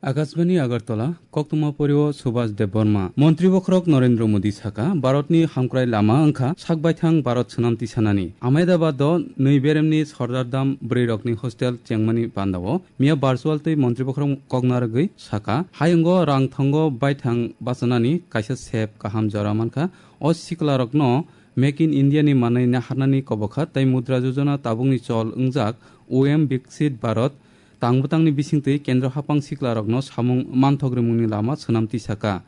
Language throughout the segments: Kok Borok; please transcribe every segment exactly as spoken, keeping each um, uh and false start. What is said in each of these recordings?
Akashbani Agartala, koktwma porio Subhas Debbarma. Montri bokhorok Narendra Modi saka, Bharatni hamkrai lama wngkha sak baithang Bharat swnam tisanani. Ahmedabad o nwi beremni Sardar Dham bwrwirokni hostel chengmani pandao miya virtual tei montri bokhorok kokna rwgwi saka, hayungo rang thongo baithang bachanani kaisa sep kaham jora mankha. O siklarokno Make in India ni manwi naharnani kobokha tei Mudra Yojana tabukni chol wngjak O M Viksit Bharat tangbwtangni bisingtwi kendro haphang siklarokno samung manthok rimungni lama swnam tisaka.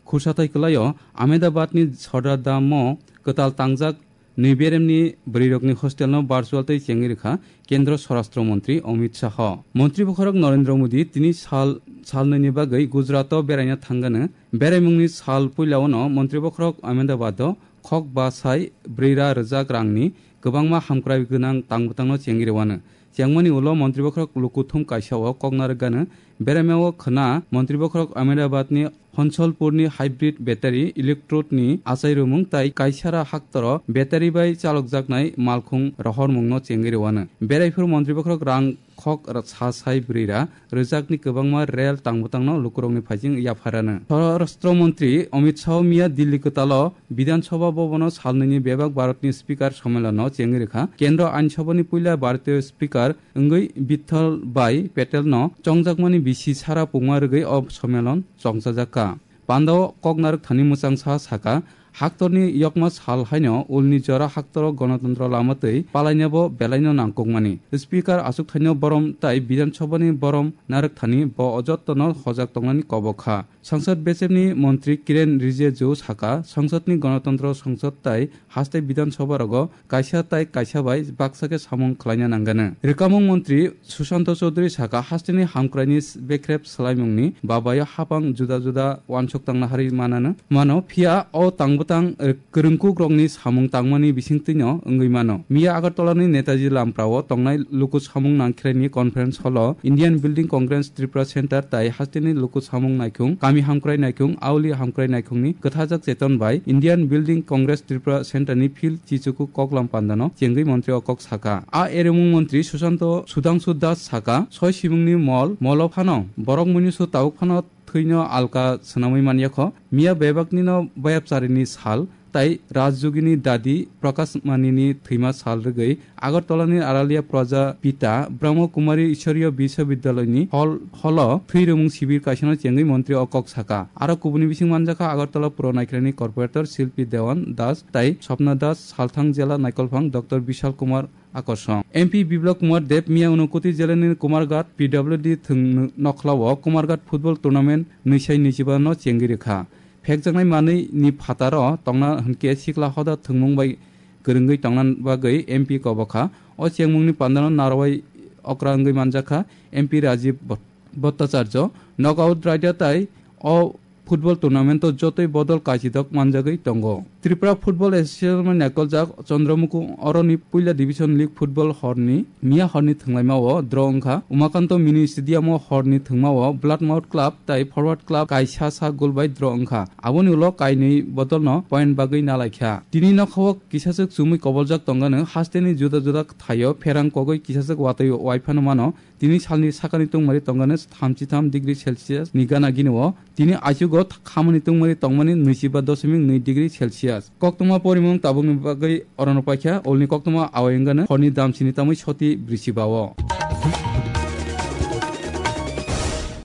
Khursathai kwlaio Ahmedabadni Sardar Dham o kwtal tangjak nwi beremni bwrwirokni hostelno virtual tei chengwi rwkha Kendra Swarashtra Montri Amit Shah. Montri bokhorok Narendra Modi tini sal, sal nwini bagwi Gujarat o beraina thangano. Beraimungni sal puilao no Montri bokhorok Ahmedabad o khok ba sai brwi ra rwjak rangni kwbangma hamkrai gwnang tangbwtangno chengwi rwano. Chengmani ulo Montri bokhorok lukuthum kaisa o kokna rwgano. Beraima o khwna Montri bokhorok Ahmedabad ni Honcholpur ni hybrid battery electrode ni achai rwmung tai kaisara haktoro battery bai chalokjaknai malkhung rohormungno chengwi rwano. Beraiphuru Montri bokhorok rang khok ra-, sa sai brwi ra rwjakni kwbangma rel tangbwtangno lukurokni phaising yapharano. Swarashtra Montri Amit Shah miya Delhi kwtalo Bidhan Sabha Bhavan o salnwini bebak Bharatni Speaker sommelono chengwi rwkha. Kendra Ain Sabhani puila Bharatiyo Speaker wngwi Bithal Bhai Patel no chongjakmani bisi sara pungma rwgwi o sommelon chongchajakha. Pandao kok narwk thani mwchangsa saka, haktorni yokma sal haino ulni jora haktoro gonotontro lama twi palainabo belaino nangkukmani. Speaker achukthaino borom tai Bidhan Sabhani borom narwk thani bo o jottono hojak tongnani kobok kha. Sangsad B S F ni montri Kiren Rijiju saka, sangsad ni gonotontro sangsad tai haste Bidhan Sabha rogo kaisa tai kaisa bai baksa khe samung khlaina nangano. Rwkamung montri Sushanta Chaudhary saka, hasteni hamkraini s-, bekrep swlaimungni babayo hapang juda juda wansuk tangna harwi manano, mano, phiya o tangbwtang, eh, kwrwngkukrokni samung tangmani bisingtwino wngwi mano. Miya Agartalani Netaji Lamprao tongnai luku samung nangkhirani conference hall-o Indian Building Congress Tripura Center tai hasteni luku samung naikhung, kami hamkrai naikhung, auli hamkrai naikhungni kwthajak cheton bai Indian Building Congress Tripura Center ni field chichuku koklam pandano chengwi montri o kok saka. A eremung montri Susanto Sudhangshu Das saka, soi simungni mol, molo phano, borok muinusu tabuk phano thwino alka swnamwi manyakho. Miya bebaknino bayapcharini sal, tai Rajjugini dadi Prakash Manini thwima sal rwgwi Agartalani Aralia Praja Pita Brahma Kumari Ishwariya Biswabidyaloyni hall, hall-o thwi rwmung sibir kaisano chengwi montri o kok saka. Aro kubuni bising manjakha Agartala Puro Naikhirani Corporator Silpi Dewan Das tai Swapna Das Salthang Jela Naikolphang Doctor Bishal Kumar Akorsong. M P Biplab Kumar Deb miya Unakoti Jelani Kumarghat P W D thwng nokhlao Kumarghat Football Tournament nwisai nwichiba no chengwi rwkha. Phekjaknai manwi ni phataro tongna hwnkhe sikla hoda thwngmung bai kwrwngwi tongna bagwi M P kobokha. O chengmungni pandano narwai okra wngwi manjakha M P Rajiv Bhat-, Bhattacharya. Knockout raida tai o football tournament o jotoi bodol kaichidok manjagwi tongo. Tripura Football Association bai naikoljak Chandramuku oroni puila division league football horni miya horni thwnglaima o draw wngkha. Umakanto mini stadium o horni thwngma o Bloodmouth Club tai Forward Club kaisa sa goal bai draw wngkha. Aboni ulo kainwi bodolno point bagwi nalaikha. Tini nokhao kisachwk chumui koboljak tongano hasteni juda juda thaio pherang kogwi kisachwk watwi waiphano mano. Tini salni sakani tungmari tongano thamchi tham degree Celsius ni gana gini o. Tini aichugo th-, khamani tungmari tongmani nwichiba doshimik nwi degree Celsius. Koktwma porimung tabukni bagwi orono paikha, olni koktwma awai wngano horni damsini tamwi soti brisiba o.